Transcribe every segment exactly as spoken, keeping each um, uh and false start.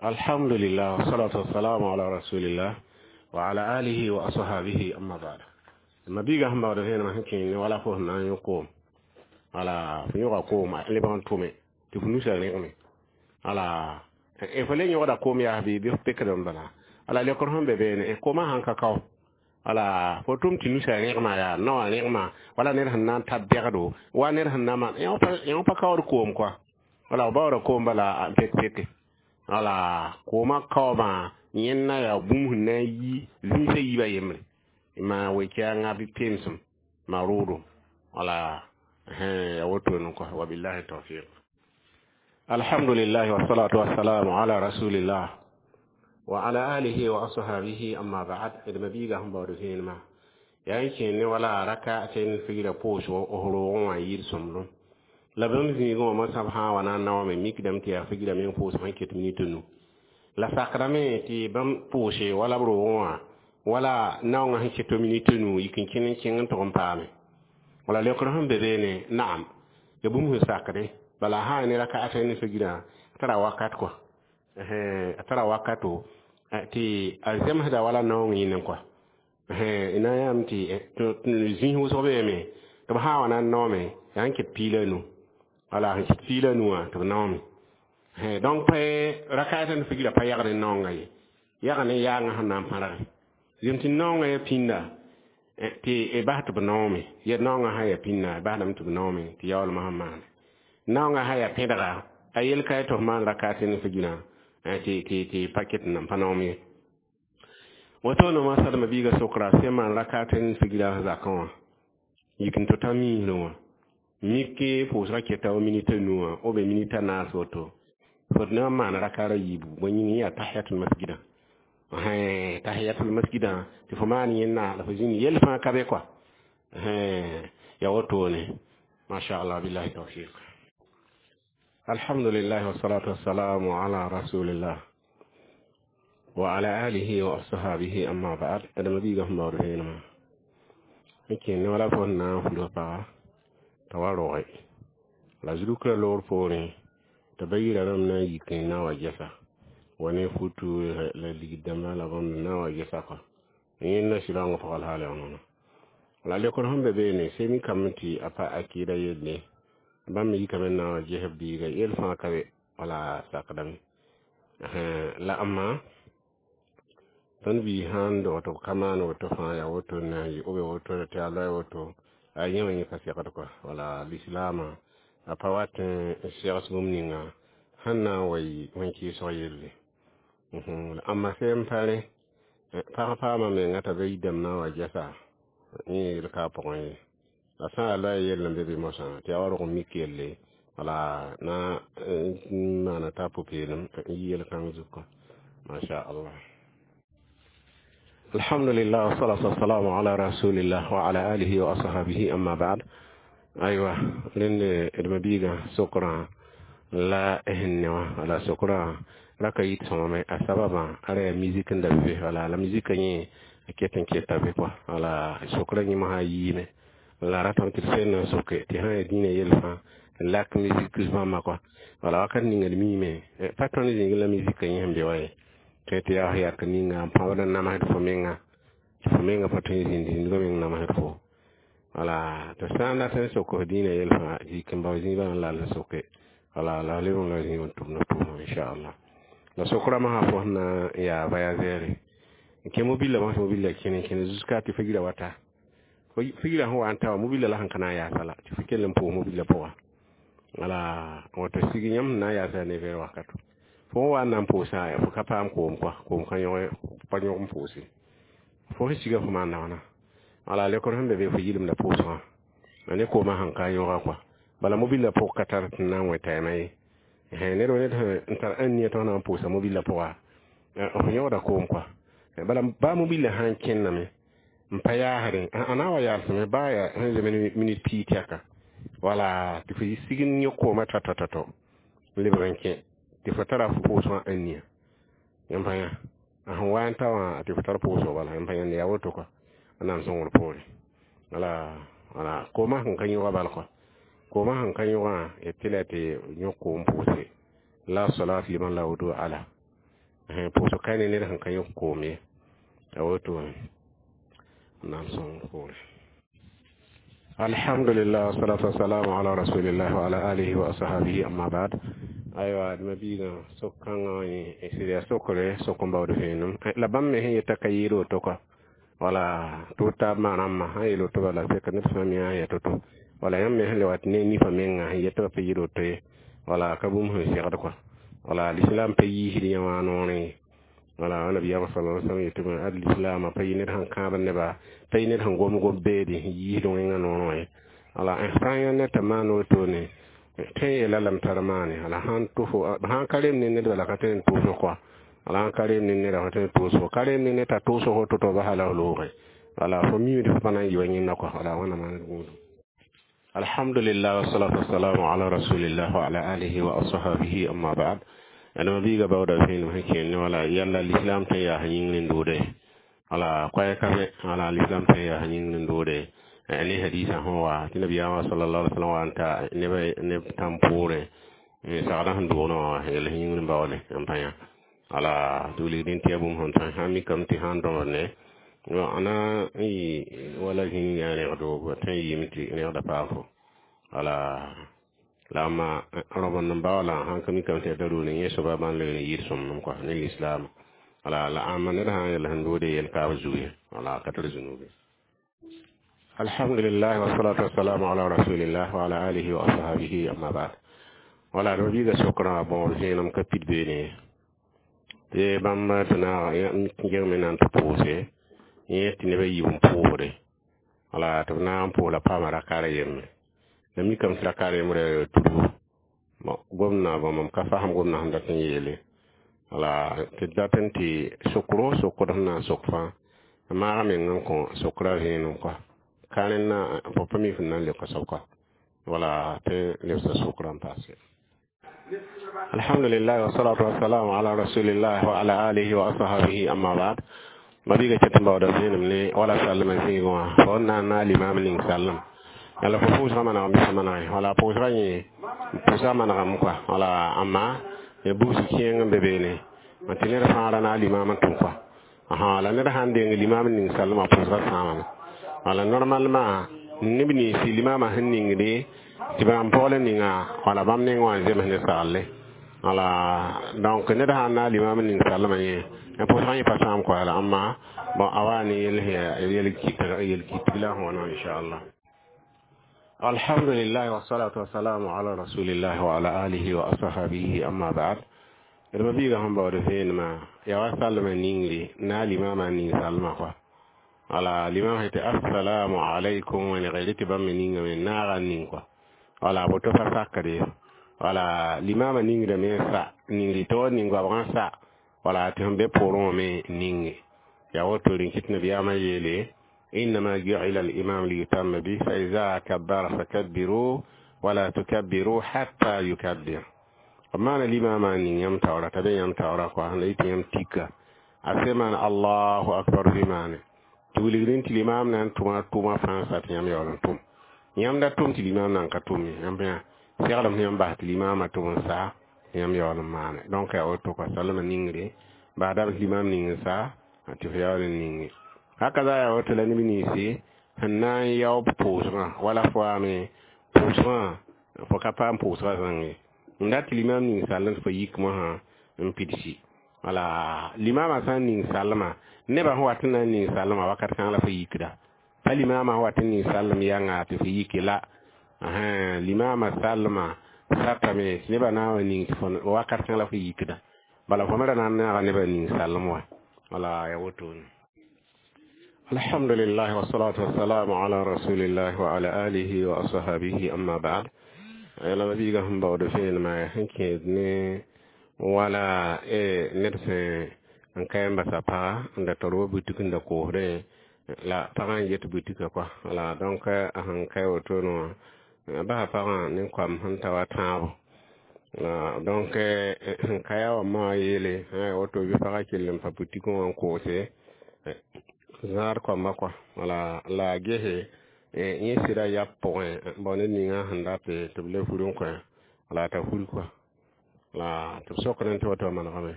Alhamdulillah, wassalatu wassalamu ala rasulillah wa ala alihi wa ashabihi, amma ba'd. Ma biiga sẽn baood vẽenemã sẽn kẽ ne wala fo sẽn na n yõ koom, wala fo yõga koom lebg n tʋme tɩ fo nusa rẽgme, wala fo le yõgda koom yaas bɩ bɩ f pekd n bala. Wala lekr sẽn be beene, koomã sãn ka kao, wala fo tʋm tɩ nusa rẽgma, yaa naowã rẽgma, wala ned sẽn na n tar bɛgdo wa ned sẽn na maan yõ pa kaood koom kɔa, wala f baooda koom bala n pek peke. Wala koomã kaoobã yẽnna yaa bũmb sẽn na n yi zĩisã yiibã yembre ma we-kɛɛngã bɩ pemsem ma roodo, wala ya wotone kɔ. Wabillahi tawfiq. Alhamdulillahi wassalatu wassalamu ala rasulillah wa ala alihi wa ashabihi, amma ba'd. D mabiiga sẽn baood vẽenemã yaa n kẽe ne wala raka tɩ figra pʋʋsg f roogẽ wã yɩɩd sõmblem la bãmb zĩigẽ wã mosã b sã n wa na n naoome mikdame tɩ yaa figrame n pʋʋs sẽn ket minit nu la sakdame tɩ bãmb pʋʋse wala b roogẽ wã wala naoongã sẽn ket minit nu yik n kẽn n kẽng n tʋg n paame. Wala leokr sẽn be beene, naam, ya bũmb sẽn sakde bala sã ne raka ata ne figrã tara wakat kɔ, a tara wakato tɩ a zemsda wala naoong yĩnẽ kɔa na n yãam tɩ zĩis wʋsg beeme tɩ b sã n wa na n naoome yaa n ket piila nu, wala sẽn ket piila nu wã tɩ b naoome. Donc pa raka ata ne figrã pa yagd n naoonga ye, yag ne yaangã sẽn na n pãrge zem tɩ naoongã ya pĩnda tɩ bas tɩ b naoome ya naoongã sã ya pĩnda basdame tɩ b naoome tɩ yaoolmã sẽn maane naoongã sã ya pẽdga a yel ka tɩ f maan rakat ne figrã tɩ tɩ tɩ pa ket n pa naoom ye. Woto no ma sadma biiga sokra sẽn maan rakat n figrã zakã wã yik n tota miisrẽ wã mik pʋʋsgã keta wa minita nu wã b minita naas woto fo na n maan rakara yiibu bõe yĩng yaa tahiyatul masjidã, tahiyatul masjidã tɩ fo maan yẽnna la fo zĩnd yell fãa ka be kɔa ya wotone. Masha Allah, billahi tawfiq. Alhamdulillah, wassalatu wassalamu ala rasulillah wa ala alihi wa ashabihi, amma ba'd. Adama biiga sẽn baood vẽenemã n kẽe ne wala fo sẽn na n fulg paga t'a wa roge la zurukra loor poorẽ tɩ ba yira rãmb na n yik n na wa gɛsa wa ne futu la ligd dãmbã la bãmb na wa gɛsa kɔa yẽnda sɩrãngã pʋgã la haal la lekr sẽn be beene semi kame tɩ a pa akɩɩda yelle bãmb me yikame n na wa ges b biiga yell fãa ka be wala sakdame la amma tõnd biig sãn dog tɩ b ka maan woto fãa yaa woto na n yɩ b woto tɩ a loɛ woto a yẽ wã yẽ pa segd kɔa wala lislaamã a pa wat n segs bũmb ninga sẽn na n wa yɩ wẽn-kɩɩsg yelle. Amma sẽn pa rẽ pag paama menga t'a ba yidame na n wa gɛsa yẽ yel ka a pʋgẽ ye la sã n yaa loɛɛ yell n be be mosã tɩ yaa wa rog n mik yelle wala na n maana t'a pʋ-peelem n yi yel-kãng zug. Masha Allah. Alhamdulillah, wassalatu wassalamu ala rasulillah wa ala alihi wa ashabihi, amma ba'd. Aywa, rẽnd d mabiigã sokrã la sẽn ne wã wala sokrã raka yit sõmame a sababã ara yaa musique n da be wala la musique yẽ a ket n keta be kɔa wala sokrã yẽmsã a yiime la ratame tɩ d sẽn n soke tɩ sã n yaa dĩinã yell fãa lak musique bãmba kɔa wala wakat ninga d miime pa tõnd zĩig la musique yẽ sẽn be wa ye tɩ tɩ yaa yak ninga n pãbd n namsd fo menga tɩ fo menga pa tõe n zĩnd zĩndgã meng namsd fo wala tɩ sã n dat n sok f dĩinã yell fãa zik n bao zĩigã n lal n soke wala la leb n la zĩig n tʋmd pʋʋsẽ inchallah. La sokra masã fo sẽn na n yaa voyageur n kẽ mobila mosã mobila kẽne kẽne jusqu'à tɩ figra wata figrã sẽn wa n ta wã mobila la sẽn ka na n yaasa la tɩ fo kell n pʋʋs mobila pʋga wala woto sig yãmb sẽn na n yaasa ne vɛɛr wakato fo wa n na n pʋʋsa fo ka paam koom kɔa koom ka yõg pa yõg n pʋʋse fo sẽn siga fo maan wãna wala lekr sẽn be be fo yɩlemda pʋʋsgã la ne koomã sẽn ka yõga kɔa bala mobila pʋg ka tar tɩ na n wẽ tɛɛmã ye ned wa ned n tar ãn nia tɩ f na n pʋʋsa mobila pʋga f yõgda koom kɔa bala baa mobila sã n kẽnname n pa yaasdẽ a na n wa yaalsame baa yaa sẽn zeme minit pii tɛka wala tɩ fo sig n yõ koomã tɔ tɔ tɔ n lebg n kẽ tɩ fo tara f pʋʋsgã ãn nia yãmb pa yã a sẽn wa n ta wã tɩ fo tar pʋʋsg bala yãmb pa yãnd yaa woto kɔa a na n sõngr poore wala wala koomã sẽn ka yõga bal kɔa koomã sẽn ka yõgã tɩ la tɩ yõ koom pʋʋse la salat liman la wudu ala. Pʋʋsg ka ne ned sẽn ka yõk koom ye. A woto naam sõng poore. Alhamdulillah, wassalatu wassalamu ala rasulillah wa ala alihi wa ashabihi, amma ba'd. Aywa, d mabiigã sok-kãngã sɩd yaa sokre sok n baood vẽenem la bãmb me sẽn yeta ka yɩɩd woto kɔa. Wala tɩ taab maan rãmbã sã n yeel woto, bala seka ned fãa me yã to-to. Wala yãmb me sẽn le wat ne nifã menga sẽn yet tɩ b pa yɩɩd woto ye, wala ka bũmb sẽn segd kɔa. Wala l'islam pa yiisd yã wã noorẽ ye. Wala nabiyaamã sallallahu alaihi wasallam yetɩ ad l'islam pa yɩ ned sẽn kãab neba, pa yɩ ned sẽn gom gom beede sẽn yiisd wẽngã noorẽ wã ye. Wala sã n yã ned t'a maan wotone tõe n yeela lame tar maane. Wala sãn tʋfo, sãn ka rem ne ned, bala ka tõe n tʋʋsg kɔa. Wala sãn ka rem ne neda, fa tõe n tʋʋsgo ka rem ne ned t'a tʋʋsg fo to-to basa la f loogẽ. Wala fo miimd fo pa na n yɩ wa yẽnda kɔa. Wala wãna maan gũudum. Alhamdulillah, wassalatu wassalamu ala rasulillah wa ala alihi wa ashabihi, amma ba'd. Ãdem mabiiga baooda vẽenem sẽn kẽer ne wala yalla l'islam tõe n yaa sẽn yĩngr n doode. Wala koɛɛg ka be, wala l'islam tõe n yaa sẽn yĩngr n doode ne hadisa sẽn wa tɩ nabiyaamã sallallahu alaihi wasallam wa n ta neb neb tãm poorẽ sagdã sẽn doonã wã yel sẽn yĩngr n baoole n pa yã. Wala tɩ wilgdẽ tɩ yaa bũmb sẽn tõe sã n mikame tɩ sãn dõmd ne na n yɩ wala zĩig yaa rẽgdo tõe n yɩɩme tɩ rẽgda paam fo. Wala la amma rõbend n baoola sãn ka mikame tɩ yaa daruri yẽ soaba bãn le n yɩɩd sõmblem kɔa ne l'islam. Wala la ãmba ned sã n yel sẽn doode yel kaab zugu ye, wala ka tar zũnubi. Alhamdulillah, wassalatu wassalamu ala rasulillah wa ala alihi wa ashabihi, amma ba'd. Wala d mabiiga sokrã bõor vẽenem ka pid beene tɩ bãmb tɩ naag geng me na n tɩ pʋʋse yẽ tɩ nebã yiib n pʋʋsde. Wala tɩ b naag n pʋʋs la paama rakar yembre la mikame tɩ rakar yembrã tudgu bon gomdã. Bon, mam ka fasem gomdã sẽn dat n yeele. Wala tɩ dat n tɩ sokro sokd sẽn na n sok fãa maaga meng n kõ sokra vẽenem kɔa ka rẽnna fo pa mi fẽn na n leoka soab kɔa. Wala tɩ lebsa sokra n paase. Alhamdulillah, wassalatu wassalamu ala rasulillah wa ala alihi wa ashabihi, amma ba'd. Mabiiga ket n baooda vẽenem ne wala sallma zĩigẽ wã fo n na n naag limam ning sallem yala fo pʋʋsgã manegame sã manege. Wala pʋʋsgã yẽ pʋʋsgã manegame kɔa. Wala ãmba bugs kẽeng n be beene tɩ ned fãa ra naag limam n tʋm kɔa. La ned sãn deng limam ning sallmã, pʋʋsgã sãamame. Wala normalement neb ninsi limamã sẽn ningde tɩ bãmb pɔgl ninga, wala bãmb neng wã n zems ne sagle. Wala donc ned sãn naag limam ning sallmã yẽ pʋʋsgã yẽ pa sãam kɔa. La ãmba bon a wa ne yel yel kɩtg la sẽn wãna inchallah. Alhamdulillah, wassalatu wassalamu ala rasulillah wa ala alihi wa ashabihi, amma ba'd. D mabiiga sẽn baood vẽenemã yaa wa sallmã ningre na limamã ning salmã kɔa. Wala limam sẽn tɩ assalamu alaykum wẽnegre tɩ bãmb me ningame naaga n ning kɔa. Wala boto pa sakde. Wala limamã ningdame n sa ningri tɩ wa ning goabgã sa, wala tɩ sẽn be poorẽ wã me ninge yaa woto rẽn kɩt nabiyaamã yeele: إنما جعل الإمام ليتم به، فإذا كبر فكبروا ولا تكبروا حتى يكبر. maana limamã ning yãmb taoora t'a be yãmb taoora kɔa la yɩ tɩ yãmb tika a se maan allahu akbar bɩ maane tɩ wilgdẽ tɩ limam na n tʋma tʋma fãa sa tɩ yãmb yaool n tʋm. Yãmb da tʋm tɩ limam na n ka tʋm ye, yãmb yã seglem sẽn yãmb bas tɩ limamã tʋm n sa yãmb yaool n maane. Donc yaa woto kɔa sallmã ningre baadame tɩ limam ning n sa tɩ f yaool n ninge. Haka za yaa woto la neb ninsi sẽn na n yaoog pʋʋsgã wala fo waame pʋʋsgã fo ka paam pʋʋsgã zãng ye n dat tɩ limam ning sall tɩ fo yik mosã n pidsi. Wala limamã sã n ning sallmã, nebã sẽn wat n na n ning sallmã wakat kãng la fo yikda pa limamã sẽn wat n ning sallem yãnga tɩ fo yike la limamã sallmã satame tɩ nebã na n wa ning tɩ fo wakat kãng la fo yikda. Bala fo me ra na n naaga nebã ning sallem wã. Wala ya wotone. Alhamdulillah, wassalatu wassalamu ala rasulillah wa ala alihi wa ashabihi, amma ba'd. Yãla mabiiga sẽn baood vẽenemã sẽn kẽed ne wala ned sẽn n ka n basa paga n da tar wa butik n da koosdẽ la pagã n get butikã kɔa. Wala donc a sẽn ka wotone wã basa pagã ne koam sẽn ta wa tãabo. Donc sẽn ka yaa wã maa yeele woto bɩ pagã kell n pa butikẽ wã n koose zãad koamba kɔa. Wala la a gese yẽ sɩda yab pʋgẽ bao ned ninga sẽn dat tɩ b le fur n kõ wala t'a fur kɔa la tɩ b sokdẽ tɩ woto manegame.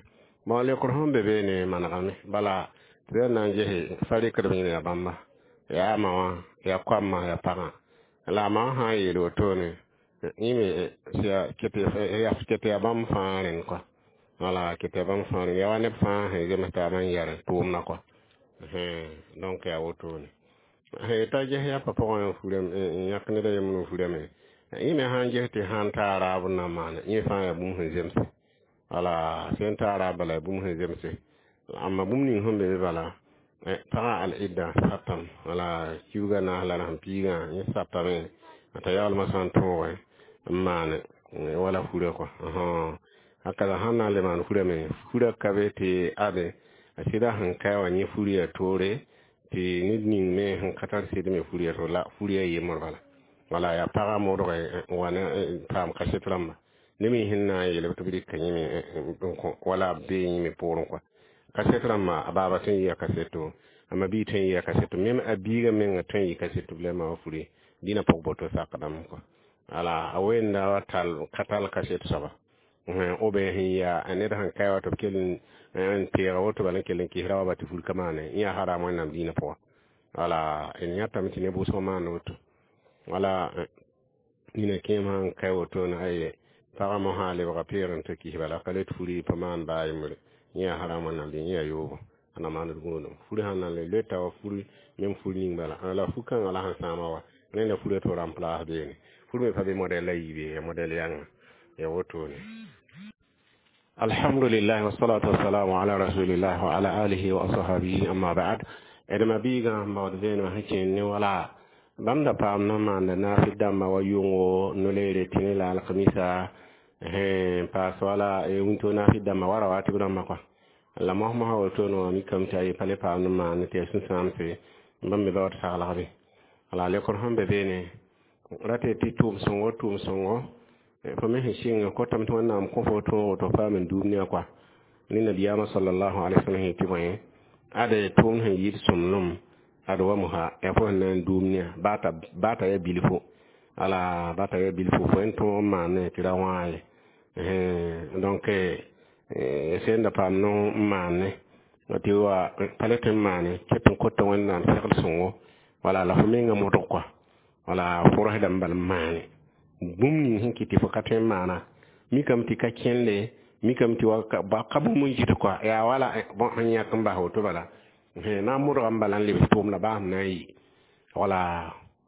Bon, lekr sẽn be beene manegame bala tɩ b yaa na n ges fa rɩkdb yẽne yaa bãmba yaa a ma wã yaa koamã yaa pagã la a ma wã sã n yeel wotone yẽ me ket yaa bãmb fãa rẽnd kɔa wala ket yaa bãmb fãa rẽnd yaa wa neb fãa sẽn zems taabã n yɛr tʋʋmdã kɔa donc yaa wotone t'a ges yapa pʋgẽ furame n yãk ned a yembr n furame yẽ me sã n ges tɩ sãn ta raab n na n maane yẽ fãa yaa bũmb sẽn zemse wala sẽn ta raab bala yaa bũmb sẽn zemse amma bũmb ning sẽn be be bala pagã al-idda satame wala kiuga naas la rasem piigã yẽ satame t'a yaoolmã sã n tõoge n maane wala furã kɔa haka la sãn na n le maan furame furã ka be tɩ ade a sɩda sẽn kae wã yẽ fur yaa toore tɩ ned ning me sẽn ka tar sɩd me fur yaa to la fur yaa yembr bala wala yaa pagã modge n wa ne paam kaset rãmba ne me sẽn na n yeel tɩ b rɩka yẽ me n kõ wala b bee yẽ me poorẽ kɔa kaset rãmba a baaba tõe n yɩa kaseto a ma-biig tõe n yɩa kaseto mem a biigã menga tõe n yɩ kaseto b la ma wa fure dĩnã pʋg boto sakdame kɔa wala a wenda wa tall ka tall kaset soaba ou bien sẽn yaa ned sẽn kae wa tɩ b kell n teega woto bala n kell n kɩsra wa ba tɩ fur ka maane yẽ yaa haram wẽnnaam dĩinã pʋga wala d yãtame tɩ neb wʋsg maan woto wala nina kẽem sãn kae wotone aye pagã mosã lebga peeg n tɩ kis bala ka le tɩ furi pa maan baa yembre yẽ yaa haram wẽnnaam dĩn yẽ yaa yoogo a na maand gũudum furi sãn na n le loeta wa furi mem fur ning bala la fu-kãngã la sẽn sãama wa rẽnda furã tɩ remplace beene fur me pa be modɛl la yiibe ya modɛl yãnga ya wotone alhamdulillah wassalatu wassalamu ala rasulillah wa ala alihi wa ashabihi amma ba'd d ma-biigã n baood vẽenemã sẽn kẽnd ne wala bãmb da paam na n maanda naafɩ dãmbã wa yʋngo no-leere tɩ la alkamisa n paas wala wĩnto naafɩ dãmbã wa rawatib rãmbã kɔa la mos-mosã wotone wã mikame tɩ a pa le paam n maan tɩ yaa sũ-sãamse bãmb me baood saglgbe wala lekr sẽn be beene rate tɩ tʋʋm-sõngo tʋʋm-sõngo fo me sẽn sɩng kotame tɩ wẽnnaam kõ fo tõogo tɩ f paam n duum ne a kɔa ne nabiyaamã sallallahu alaihi wasallam sẽn tɩ bõe ade tʋʋmd sẽn yɩɩd sõmblem ad wa mosã yaa fo sẽn na n duum ne a baa t'a yaa bilfu wala baa t'a yaa bilfu fo n tõog n maane tɩ ra wãa ye donc sẽn da paam no n maane tɩ wa pa le tõe n maane ket n kota wẽnnaam segl sõngo wala la fo menga modg kɔa wala fo rosdame bal n maane bũmb ning sẽn kɩt tɩ fo ka tõe n maana mikame tɩ ka kẽnde mikame tɩ wa ka bũmb n git kɔa yaa wala bõn sẽn yãk n bas woto bala na n modgame bala n lebs tʋʋmda baa sẽn na n yɩ wala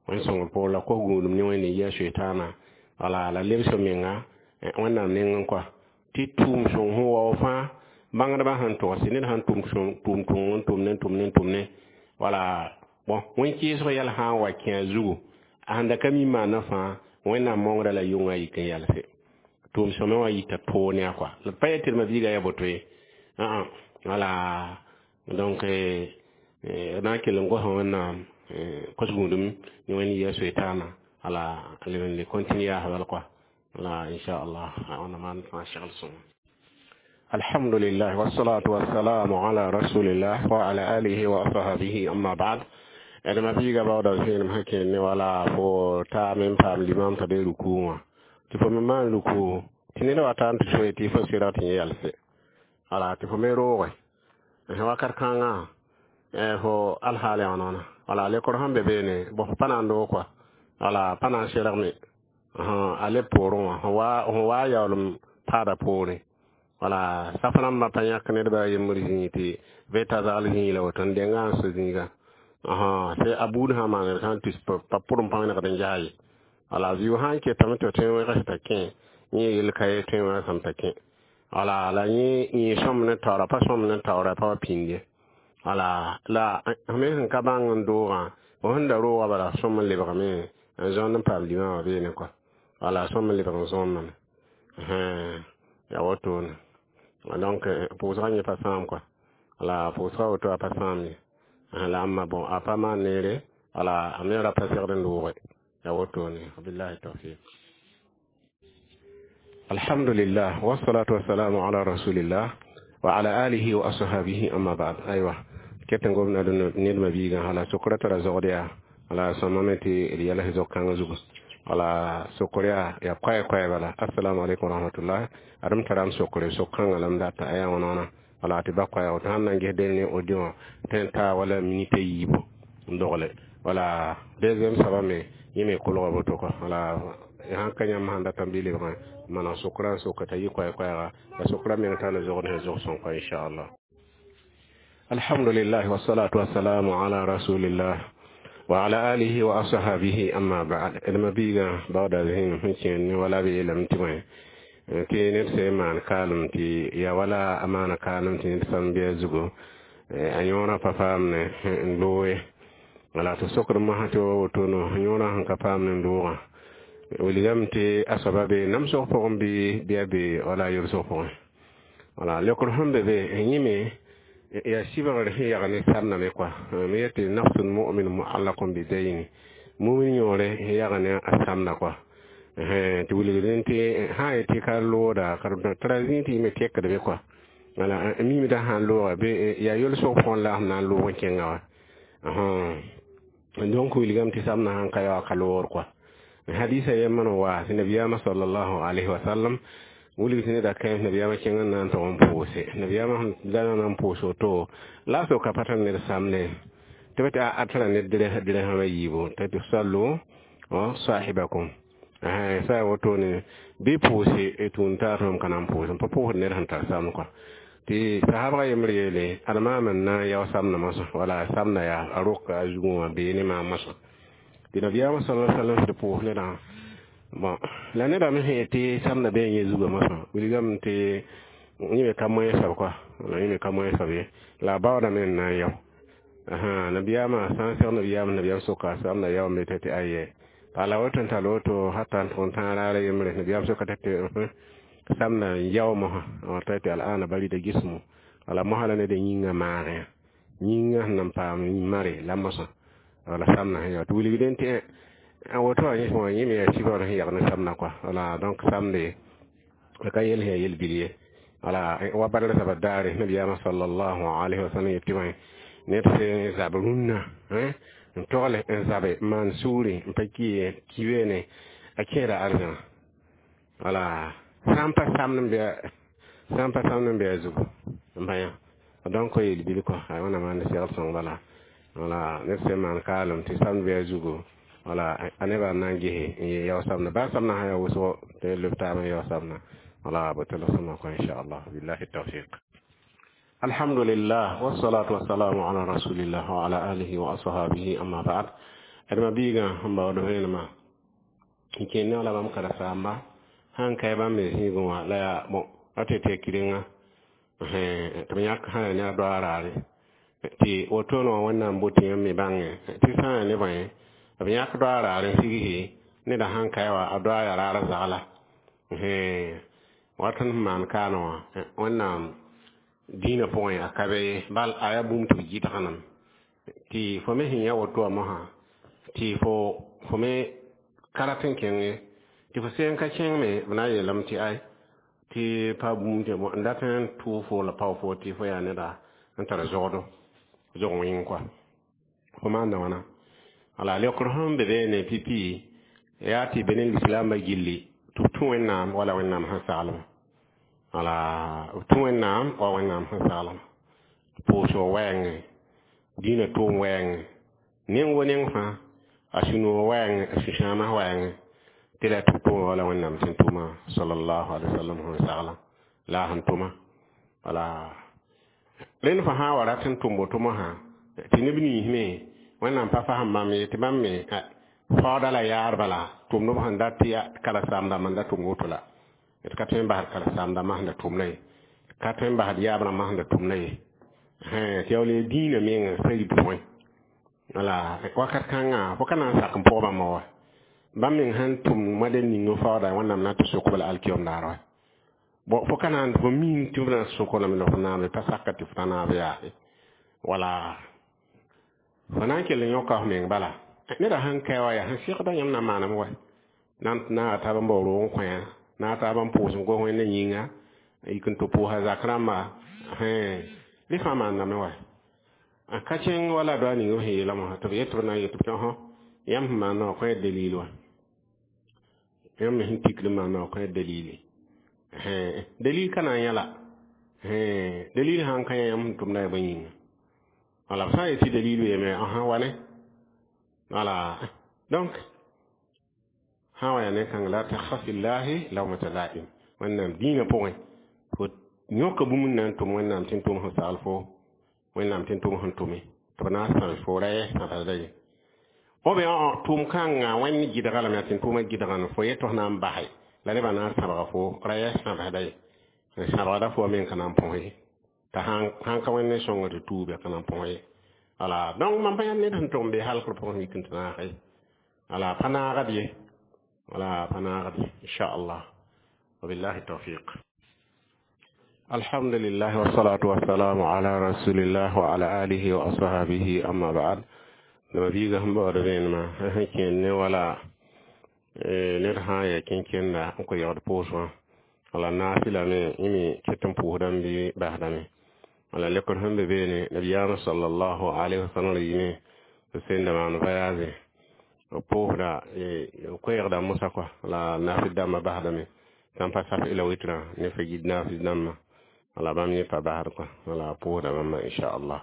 wẽn sõngr poor la kos gũudum ne wẽnd n yɩ a soetaana wala la lebs menga wẽnnaam nengẽ kɔa tɩ tʋʋm sõng sẽn wao fãa bãngdbã sẽn togs ned sãn tʋm tʋʋm tõng n tʋmne n tʋmne n tʋmne wala bõn wẽn-kɩɩsg yɛl sã n wa kẽ a zugu a sẽn da ka mi maana fãa wẽnnaam mongrã la yʋngã yik n yalse tʋʋm sõmẽ wã yita toog ne a kɔa la pa yetɩ d ma-biigã yaa boto ye wala donc na n kell n gosã wẽnnaam kos gũudum ne wẽnd yɩ a soetaana wala leb n le continue yaas bal kɔa wala inchallah wẽnnaam maan fãa segl sõngo alhamdulillah wassalatu wassalamu ala rasulillah wa ala alihi wa ashabihi amma ba'd d ma-biigã baooda vẽenem sẽn kẽnd ne wala fo taame n paam limam t'a be rukuu wã tɩ fo me maan rukuu tɩ ned wa taa n tɩ soe tɩ fo sɩrg tɩ yẽ yalse wala tɩ fo me rooge wakat kãngã fo alhaal yaa noona wala lekr sẽn be beene bõ fo pa na n doog kɔa wala pa na n sergme a leb poorẽ wã fõ waa yaoolem paada poorẽ wala saf rãmbã pa yãk nedba a yembr zĩig tɩ veta zagl zĩig la woto n denga n so zĩiga tɩ a buud sã maan sã n tus pa pʋrem pa wẽnegd n jas ye wala zɩʋ sã n ketame tɩ tõe n wẽgs t'a kẽ yẽ yel ka ye tõe n wẽgsame t'a kẽ wala la yẽ yẽ sõm ne taoora pa sõm ne taoora pa wa pĩnd ye wala la me sẽn ka bãng n doogã fo sẽn da rooga bala sõm n lebgame n zõnd n paam limã wã beene kɔa wala sõm n lebg n zõnname yaa wotone donc pʋʋsgã yẽ pa sãam kɔa wala pʋʋsgã woto a pa sãam ye la ãmba bõn a pa maan neere wala a me ra pa segd n dooge yaa wotone wabillahi tawfiq alhamdulillah wassalatu wassalamu ala rasulillah wa ala alihi wa ashabihi amma ba'd aywa ket n gomda ned ma biigã wala sokra tara zogd yaa wala sõmame tɩ d yɛls zog-kãngã zugu wala sokr yaa yaa koɛɛ koɛɛ bala assalamu alaikum warahmatullah adem taram sokre sok-kãngã la m data a yaa wãna Wala tɩ ba koɛɛg tɩ sãn na n ges dẽnd ne audio wã tõe n taa wala minit a yiibu n dogle. Wala deuxième soaba me yẽ me kolga woto kɔ. Wala sãn ka yãmb sãn datame bɩ lebg n maneg sokra n soka t'a yɩ koɛɛ-koɛɛga la sokra meng tar la zogd sẽn zog sõng kɔ, inchallah. Alhamdulillah, wassalatu wassalamu ala rasulillah wa ala alihi wa ashabihi, amma ba'd. D ma-biigã baooda zĩig sẽn kẽer ne wala b yeelame tɩ bõe tɩ ned sẽn maan kaalem tɩ ya wala a maana kaalem tɩ ned sãn bɩ a zugu a yõorã pa paamne n looge. Wala tɩ sokd mosã tɩ wa wotono yõorã sẽn ka paamne n loogã wilgame tɩ a soaba be namsg pʋgẽ bɩ bɩ a be wala yolsg pʋgẽ. Wala leokr sẽn be be yẽ me yaa sɩbgr sẽn yag ne samdame kɔa me yetɩ nafsul mumin muallakun bidayni mumin yõore sẽn yag ne a samda kɔa tɩ wilgdẽ tɩ sã n yetɩ ka looda tara zĩig tɩ yẽ me tekdme kɔa. Wala mimdã sãn looga bɩ yaa yolsg pʋgẽ la sẽn na n loog n kẽnga wa. Donc wilgame tɩ samdã sãn ka ya ka loogr kɔa. Hadisa yembr n wa tɩ nabiyaamã sallallahu alayhi wa sallam wilg tɩ neda kãens nabiyaamã kẽng n na n tog n pʋʋse nabiyaamã sẽn da na n pʋʋs woto la a soka pa tar ned samne tɩ b tɩ a tara ned dirham a yiibu tɩ tɩ sallu sahibakum sa ya wotone bɩ pʋʋse tũun taar tõem ka na n pʋʋs n pa pʋʋsd ned sẽn tar samd kɔa. Tɩ sahabga yembr yeele ad maam n na n yao samdã mosã wala samda yaa a roka a zugẽ wã bee ne maam mosã tɩ nabiyaamã sala sallam tɩ pʋʋs nedã. Bon, la nedã me sẽn yetɩ samda bee yẽ zugã mosã wilgame tɩ yẽ me ka moẽ soab kɔa, la yẽ me ka moẽ soab ye la a baoodame n na n yao. Nabiyaamã sã n seg nabiyaamã, nabiyaam soka samda yaoome tɩ tɩ aye la woto n tall woto hata n tʋg n tãag raara yembre. Nabiyaam soka tɩ tɩ samda n yao mosã t'a tɩ al'ana barida gismo wala mosã la ned yĩngã maagẽ yĩngã sẽn nan paam mare la mosã wala samda sẽn yao tɩ wilgdẽ tɩ woto wã yẽ wã yẽ me yaa sɩbgr sẽn yag ne samdã kɔa. Wala donc samde ka yel sẽn yaa yel-bil ye. Wala wa badr zaba daare nabiyaamã sallallahu alayhi wa sallam yetɩ bõe ned sẽn zab rũnnã n togle n zabe n maan sugri n pa ki ye ki beene a kẽeda arzãna. Wala sã n pa samd n bɩ sã n pa samd n bɩ a zugu n pa yã. Donc yel-bil kɔ a wẽnnaam maan segl sõng bala. Wala ned sẽn maan kaalem tɩ samd bɩ a zugu wala a nebã n na n gese n yao samdã baa samdã sã yaa wʋsgo tɩ leb taab n yao samdã. Wala b tɩ la sõma kɔ, inchallah, billahi tawfiq. Alhamdulillah, wassalatu wassalamu ala rasulillah wa ala alihi wa ashabihi, amma ba'd. Adma biiga n baood vẽenemã n kẽen ne wala bãmb karen-saamba sãn kae bãmb me zĩigẽ wã la yaa bon a tɩ tɩ kirenga tɩ b yãk sã yaa ne a doa raare tɩ wotone wã Wẽnnaam botɩ yãmb me bãngẽ tɩ sã n yaa ne bõe b yãk doa raar n sigse neda sãn kae wa a doa yaa raar zagla wat n maan kaana wã Wẽnnaam dĩinã pʋgẽ a ka be ye bal a yaa bũmb tɩ b gɩdgnam tɩ fo me sẽn yã woto wã mosã tɩ fo fo me ka rat n kẽng tɩ fo seen ka kẽng me b na n yeelame tɩ ay tɩ pa bũmb tɩ n dat n tʋʋg fo la pao fo tɩ fo yaa neda n tar zogdo zog wẽng kɔa fo maanda wãna. Wala leokr sẽn be beene pipi yaa tɩ be ne lislaambã gilli tɩ b tũ Wẽnnaam wala Wẽnnaam sẽn saglema wala b tũ Wẽnnaam wa Wẽnnaam sẽn saglema pʋʋsg wɛɛngẽ dĩinã tʋʋm wɛɛngẽ neng wo neng fãa a sũ-noog wɛɛngẽ a sũ-sãamã wɛɛngẽ tɩ la tɩ b tʋʋma wala Wẽnnaam sẽn tʋma sallallahu alaihi wasallam sẽn sagla la a sẽn tʋma. Wala rẽnd fã sã n wa rat n tʋm woto mosã tɩ neb nins me Wẽnnaam pa fasem bãmb ye tɩ bãmb me faooda la yaar bala tʋmdb sẽn dat tɩ karen-saam-dãmb n da tʋm woto la d ka tõe n basd karen-saam-dãmbã sẽn da tʋmda ye ka tõe n basd yaab rãmbã sẽn da tʋmda ye tɩ yaool ya dĩinã meng sã rib pʋgẽ. Wala wakat kãngã fo ka na n sak n pʋg bãmba wa bãmb meng sẽn tʋm modɛl ning n faooda Wẽnnaam na n tɩ sok b la alkiom daar wa bon fo ka na n fo miin tɩ b na n sok lame la fo naame pa saka tɩ fo ta naab yaase wala fo na n kell n yõka f meng bala neda sãn kae wa yaa sẽn segda yãmb na n maaname wa na n naaga taab n bao roog n kõ yã naag taab n pʋʋs n gos Wẽnda yĩnga yik n tɩ pʋʋsa zak rãmba rẽ fãa maandame wa a ka kẽng wala doa ning b sẽn yeelame wã tɩ b yet tɩ b na n yet tɩ tɩ yãmb sẽn maanda wã kõ dalil wa yãmb me sẽn tikd n maanda wã kõ dalili dalil ka na n yã la. Dalil sãn ka yã yãmb sẽn tʋmda yaa bõe yĩnga? Wala b sã n yet tɩ dalil weeme, ãsã wane. Wala donc sã n wa yaa ne-kãng la takhaf fillahi lawmata la'im. Wẽnnaam dĩinã pʋgẽ fo yõka bũmb n na n tʋm Wẽnnaam tɩ n tʋm sẽn sagl fo Wẽnnaam tɩ n tʋm sẽn tʋme tɩ b na n sãbs fo ra yɛ sãbsda ye. Ou bien tʋʋm kãngã Wẽnd gɩdga lame yaa tɩ n tʋʋmã gɩdga fo yet tɩ f na n base la nebã na n sãbga fo ra yɛ sãbsda ye. N sãbgda fo me n ka na n põs ye t'a sãn ka Wẽnd ne sõngo tɩ tuub ya ka na n põs ye. Wala donc mam pa yãnd ned sẽn tʋg n be halkr pʋgẽ yik n tɩ naag ye. Wala pa naagd ye. Wala pa naagd ye inchallah. Wabillahi tawfiq. الحمد لله والصلاة والسلام على رسول الله وعلى آله وأصحابه أما بعد. لما بيغا هم بعد بين ما كين ولا ned sã n ya kẽn-kẽnda n kõ yagd pʋʋsgã wala naafɩla me yẽ me ket n pʋʋsdame bɩ basdame. Wala lekr sẽn be beene nabiyaamã sallallahu alayhi wa sallam yɩme b sẽn da maan voyage b pʋʋsda koɛɛgda mosa kɔa la naafɩl dãmbã basdame sãn pa saf ila witrã ne fa yid naafɩl dãmbã wala bãmb yẽ pa basd kɔa wala pʋʋsda bãmba inchallah.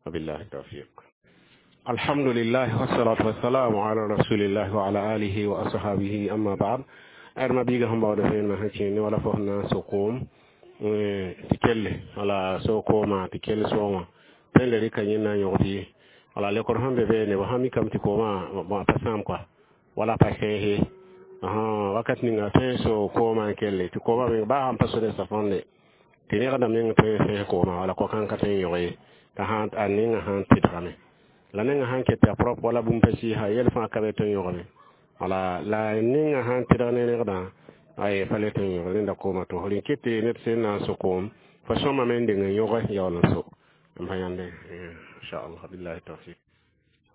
Wabillahi tawfiq. الحمد لله والصلاة والسلام على رسول الله وعلى آله وأصحابه أما بعد. أرما بيغا هم بعد فين ما هكين ولا فهنا سقوم تكل ولا سوكوما تكل سوما تل ريكا ينا يغدي ولا لكر هم ببين وهمي كم تكوما ما تسام كوا ولا باشيه aha wakat ninga te so koma kelle ti koma me ba ham pasore sa fonde ti ne kada men te se koma wala ko kan ka te yoge ta han a ninga han tidrame la ninga han ke ta prop wala bum pesi ha yel fa ka be te yoge wala la ninga han tidrane ne kada ay fale te yoge linda koma to holin kete net sen na so kom fa soma men de yoge yawla so mbayande inshallah billahi tawfiq.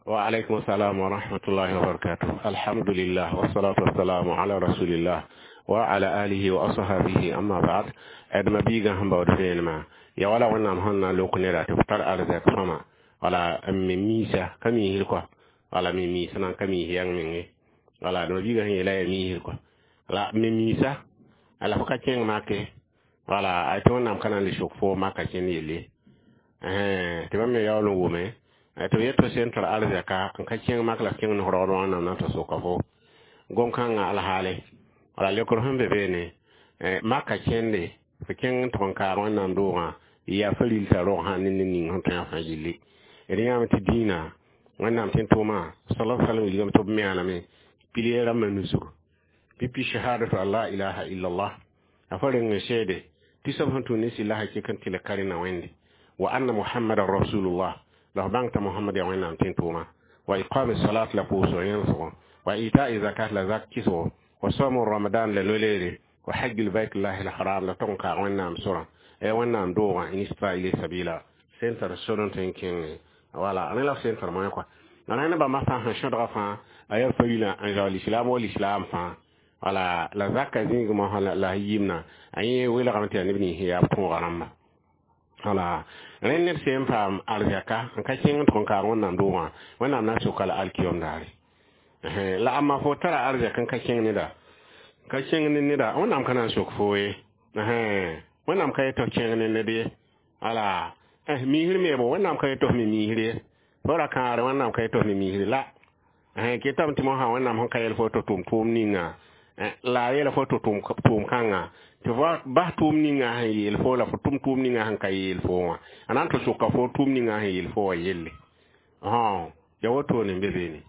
وعليكم السلام ورحمة الله وبركاته. الحمد لله والصلاة والسلام على رسول الله وعلى آله وأصحابه أما بعد. أدم بيغا هم بعد فين ما يا ولا وانا مهنا لو كنا تفتر أرزاق فما ولا أمي ميسا كمي هلكوا ولا مي ميسا نان كمي هيان مني ولا أدم بيغا هي لا مي هلكوا ولا مي ميسا على فكا كين ماكي ولا أتون نام كان لشوك فو ماكا كين يلي أه تمام يا ولو ومه to yetto sen tar arzaka n ka kẽng mak la kẽng nosg raood wãnnaam na n ta soka fo gom-kãngã alhaale wala lekr sẽn be beene maka kẽnde fo kẽng n tʋg n kaag wẽnnaam doogã yaa fa ril t'a rog sã ne ned ning sẽn tõe a fãa yelle d yãame tɩ dĩinã wẽnnaam tɩ n tʋʋma sala salam wilgame tɩ b meaname pilier rãmbã nusg pipi shahadatu an la ilaha illallah a fa reng n seede tɩ soab sẽn tʋm ne sɩlla hakɩk n tɩ la ka rẽna wẽnde wa anna muhammadan rasulullah la f bãng t'a Mohamad yaa Wẽnnaam tɩ n tʋʋma wa iqami salat la pʋʋsg yẽlsgo wa ita'i zakat la zak kisgo wa sawmu ramadan la loleere wa hajjul baitullahi alharam la tʋg n kaag Wẽnnaam sorã Wẽnnaam doogã in istata ilayhi sabila sẽn tar sor n tõe n kẽnge wala rẽ la f sẽn tar moẽ kɔa rẽnd bãmba fãa sẽn sõdga fãa a yaa farilã n zaool islam wa lislaam fãa wala la zaka zĩig mosã la yimna a yẽ welgame tɩ yaa neb nins yaa b tõoga rãmba wala rẽnd ned sẽn paam arzɛka n ka kẽng n tʋg n kaag Wẽnnaam doogã Wẽnnaam na n soka la alkiyom daare la amma fo tara arzɛk n ka kẽng neda ka kẽng ne neda Wẽnnaam ka na n sok fo ye Wẽnnaam ka yet tɩ f kẽng ne ned ye wala miisr meebo Wẽnnaam ka yet tɩ f me miisr ye fo ra kãagre Wẽnnaam ka yet tɩ f me miisr la ketame tɩ mosã Wẽnnaam sẽn ka yɛl fo tɩ tʋm tʋʋm ninga la a yeela fo tɩ tʋʋm kãngã tɩ bas tʋʋm ninga sẽn yeel fo la fo tʋm tʋʋm ninga sẽn ka yeel fo wã a na n tɩ soka fo tʋʋm ninga sẽn yeel fo wã yelle ya wotone n be beene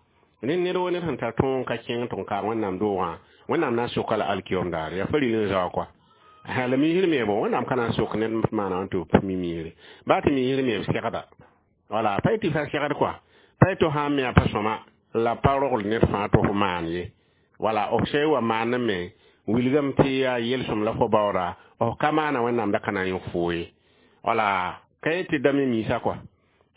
ned ned wo ned sẽn tar tõog n ka kẽng tɩ n kaag Wẽnnaam doogã Wẽnnaam na n soka la alkiyom daare yaa fa ril n zao kɔa la miisr meebo Wẽnnaam ka na n sok ned maana n tɩ b mi miisre baa tɩ miisr meeb segda wala pa tɩ fa segd kɔa pa tɩ sã n me a pa sõma la pa rogl ned fãa tɩ f maan ye wala f sã wa maan me wilgame tɩ yaa yelsem la fo baooda f ka maana Wẽnnaam da ka na n yõk foo ye wala ka yet tɩ da me miisa kɔa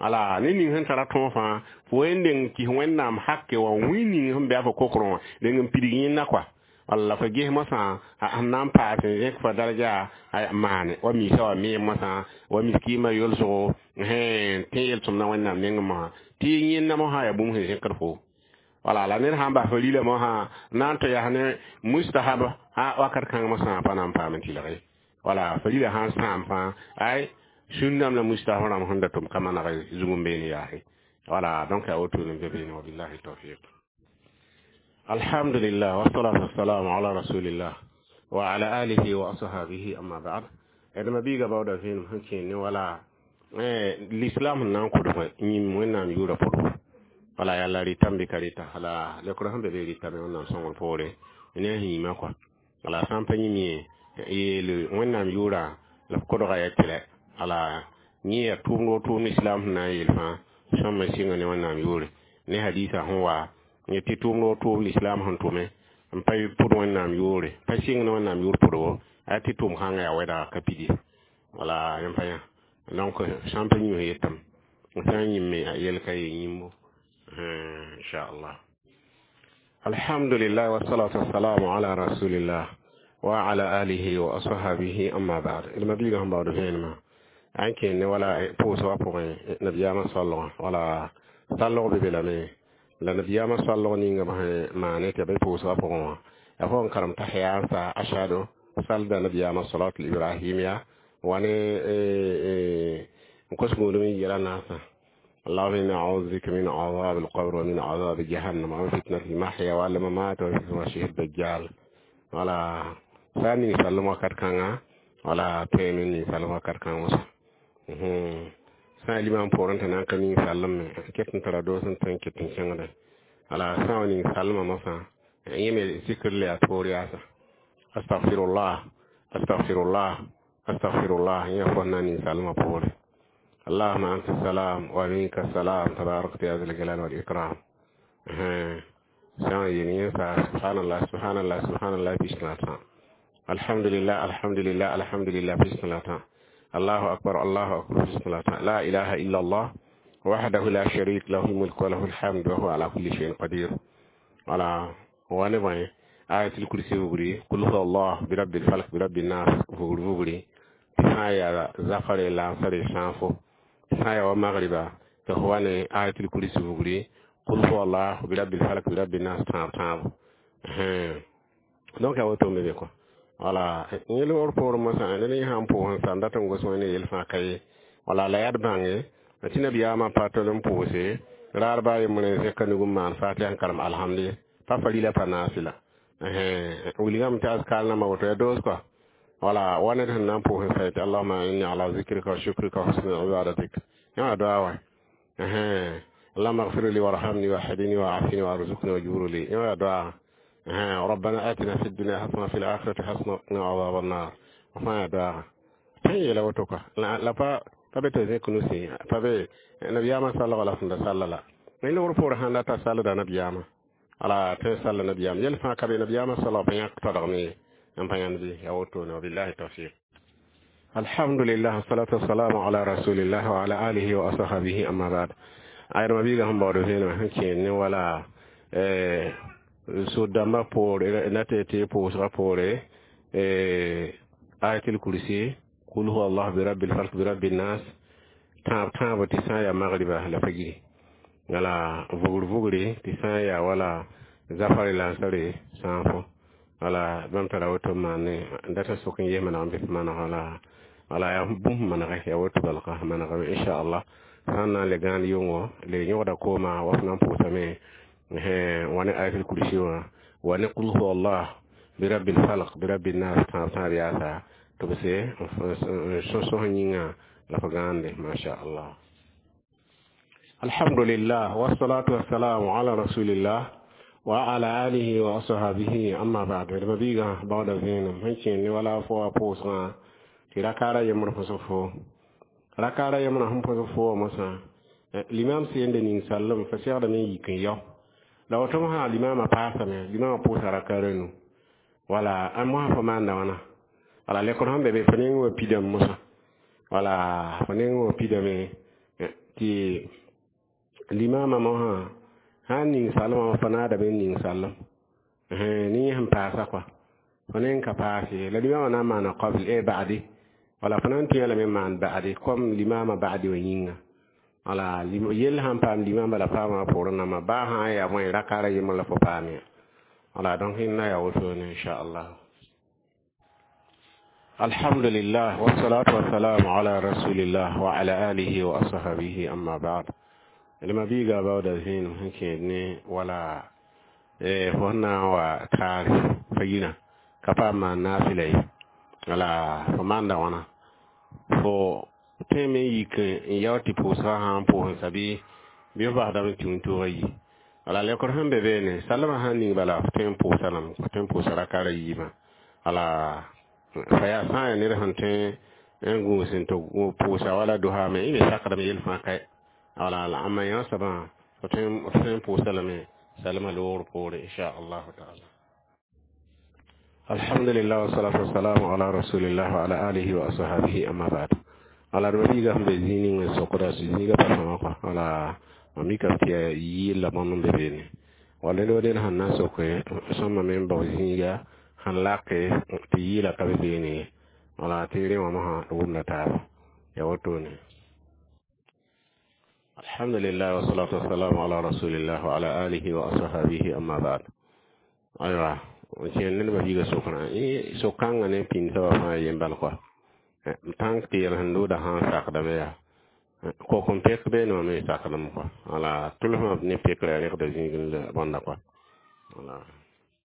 wala ne ning sẽn tara tõog fãa fo wen deng kis Wẽnnaam hake wã wĩ ning sẽn be a fo kokrẽ wã deng n pidig yẽnda kɔa wala la fo ges mosã sẽn na n paas n zẽk fa daraja a maane wa miisa wa meem mosã wa miskiimã yolsgo tẽ yelsem na Wẽnnaam nengẽ mosã tɩ yẽnda mosã yaa bũmb sẽn zẽkd fo wala la ned sãn bas fo rila mosã na n tɩ yaa ne mustahab a wakat kãng mosã pa na n paam n tɩlg ye wala fo rila sãn sãam fãa ay Sũndãmb la mustaf rãmb sẽn da tʋm ka maneg zug n beene yaase. Voilà, donc a woto ne be beene. Wabillahi tawfiq. Alhamdulillah, wassalatu wassalamu ala rasulillah wa ala alihi wa ashabihi, amma ba'd. D mabiiga baooda vẽenem sẽn kẽer ne wala l'islam sẽn na n kʋdg yĩm Wẽnnaam yʋʋra pʋdgo. Wala yalla rɩtame bɩ ka rɩta la lekr sẽn be be rɩtame Wẽnnaam sõngr poore ne a yĩmã kɔa. Wala sã n pa yĩm ye yeel Wẽnnaam yʋʋra la f kodga ya tɩlɛ. Ala yẽ yaa tʋʋmd wo tʋʋmd islam sẽn na n yeel fãa sõma sɩnga ne Wẽnnaam yʋʋre ne hadisa sẽn wa tɩ tʋʋmd wo tʋʋm l'islam sẽn tʋme n pa pʋd Wẽnnaam yʋʋre pa sɩng ne Wẽnnaam yʋʋr pʋdgo a tɩ tʋʋm kãngã yaa wɛdga ka pidi. Wala yẽ pa yã. Donc sã n pa yĩms yetame sã n yĩmme a yel ka ye yĩmbo, inchallah. Alhamdulillah, wassalatu wassalamu ala rasulillah wa ala alihi wa ashabihi, amma ba'd. D mabiiga sẽn baood vẽenemã an kẽer ne wala pʋʋsgã pʋgẽ nabiyaamã soalgã. Wala sallg be be lame la nabiyaamã soalg ninga sẽn maane tɩ ya be pʋʋsgã pʋgẽ wã ya fo n karem tahiya n sa ashadu salda nabiyaamã salatul ibrahimiya wa ne n kos gũudum n yɛla naasã: اللهم إني أعوذ بك من عذاب القبر ومن عذاب جهنم ومن فتنة المحيا والممات ومن فتنة المسيح الدجال. Wala sã n ning sallem wakat kãnga wala tõeme n ning sallem wakat kãng moasã sã n limam poorẽ tɩ na n ka ning sallem me ket n tara doos n tõe n ket n kẽngde. Wala sã wa ning salmã mosã yẽ me zikr la yaa toor yaasa: astagfirullah, astagfirullah, astagfirullah. Yẽ fo na n ning salmã poore: اللهم أنت السلام ومنك السلام، تباركت يا ذا الجلال والإكرام. سبحان الله، سبحان الله، سبحان الله بسم الحمد لله، الحمد لله، الحمد لله بسم الله، الله أكبر، الله أكبر بسم الله، لا إله إلا الله وحده لا شريك له الملك وله الحمد وهو على كل شيء قدير. Voilà, wane bõe آية الكرسي vugri, قل هو الله، برب الفلق، برب الناس vugr vugri tɩ sã n yaa zafare lansare sãafo tɩ sã n yaa wa magriba tɩ f wa ne آية الكرسي vugri, قل هو الله، برب الفلق، برب الناس tãab tãabo. Donc yaa woto n be be kɔ. Wala yẽl wor poorẽ mosã ned yẽ sãn pʋʋs n sa n dat n gos Wẽnd yel fãa ka ye. Wala la yaa d bãnge tɩ nabiyaamã pa tol n pʋʋse raar baa yembre n zẽka nug n maan fatiha n karem alhamdi pa farila pa naasɩla wilgame tɩ azkar nambã woto ya doos kɔa. Wala wa ned sẽn na n pʋʋs n sa yetɩ: اللهم إني على ذكرك وشكرك وحسن عبادتك. Yã wã doa wa: اللهم اغفر لي وارحمني واهدني وعافني وارزقني واجبر لي. Yã wã doa: ربنا آتنا في الدنيا حسنة وفي الآخرة حسنة وقنا عذاب النار. Fãa doa tẽn yeela woto kɔa la pa pa be tɩ zẽk nusi pa be nabiyaamã sallga la sẽn da salla la yẽ logr poorẽ sãn data sallda nabiyaamã ala tẽn salla nabiyaam yɛl fãa ka be nabiyaamã salg pa yãk tadgme ye n pa yãnd bɩ yaa wotone. Wabillahi tawfiq. Alhamdulillah, wassalatu wassalamu ala rasulillah wa ala alihi wa ashabihi, amma ba'd. Ayda mabiiga sẽn baood vẽenemã sẽn kẽer ne wala sod-dãmbã poore na tɩ tɩ pʋʋsgã poore آية الكرسي, قل هو الله, برب الفلق, برب الناس tãab tãabo tɩ sã n yaa magriba la fajiri. Wala vugr vugre tɩ sã n yaa wala zafare lansare sãafo. Wala bãmb tara woto n maane n data sok n ges maneg n bɩ maneg. Wala wala yaa bũmb manege yaa woto balga manegame, inchallah. Sã n na n le gãan yʋngo le yõgda kooma wa f na n pʋʋsame wa ne آية الكرسي wã wa ne قل هو الله, برب الفلق, برب الناس tãab tãab yaasa tɩ b se n sõs yĩngã la f gãande, masha allah. Alhamdulillah, wassalatu wassalamu ala rasulillah wa ala alihi wa ashabihi, amma ba'd. D mabiiga baooda vẽenem sẽn kẽer ne wala fo wa pʋʋsgã tɩ rakaara yembr pʋsg fo rakaara yembrã sẽn pʋsg fo wã mosã limam sende ning sallem fa segdame n yik n yao la woto mosã limamã paasame limamã pʋʋsa rakaara nu. Wala a mosã fo maanda wãna wala lekr sẽn be be fo neng wa pidame mosã wala fo neng wa pidame tɩ limamã mosã sã n ning salmã fo naadame n ning sallem ne yẽ sẽn paasa kɔa fo neng ka paas ye la limamã na n maana qabl e ba'di. Wala fo na n tẽe lame n maan ba'di comme limamã ba'di wã yĩnga. Wala yell sãn paam limamã la paamã poorẽ nambã baa sã n yaa bõe rakaara yembr la fo paam ya. Wala donc rẽnda yaa wotone, inchallah. الحمد لله والصلاة والسلام على رسول الله وعلى آله وأصحابه أما بعد لما بيغا باودا زين هنكي ولا fo na wa taar fa yina ka paam maan naafɩla ye wala fo maanda wãna fo tõeme n yik n yao tɩ pʋʋsgã sã n pʋʋs n sa bɩ bɩ f basdame tɩ wĩntoogã yi wala lekr sẽn be beene salmã sãn ning bala f tõe n pʋʋsa lame f tõe n pʋʋsa raka ra yiibã wala fa yaa sã n yaa ned sẽn tõe n gũus n tɩ pʋʋsa wala dosame y me sakdame yel fãa kae wala la ãmba yã soabã f tõe n pʋʋsa lame salma loogr poore inchallahu taala alhamdulillah wasalatu wasalamu ala rasulillah wa ala alihi wa ashabihi amma ba'd ala d mabiiga sẽn be zĩig ning n sokda zĩiga pa sõma kɔa wala mam mikame tɩ yaa yɩɩl la bõmb n be beene wala ned wa ned sẽn na n soke sõma me n bao zĩiga sẽn lake tɩ yɩɩla ka be beene ye wala tɩ rẽ wã mosã d wʋmda taaba ya wotone alhamdulillah wasalatu wasalamu ala rasulillah wa ala alihi wa ashabihi amma ba'd aywa kẽer ned mabiiga sokrã sok-kãngã ne pĩnd soabã fãa yen bal kɔa tãnk tɩ yɛl sẽn loodã sã n sakdame yaa kok n pek beene wã me sakdame kɔa wala tʋlsmã ne pekrã rẽgda zĩig bõnda kɔa wala.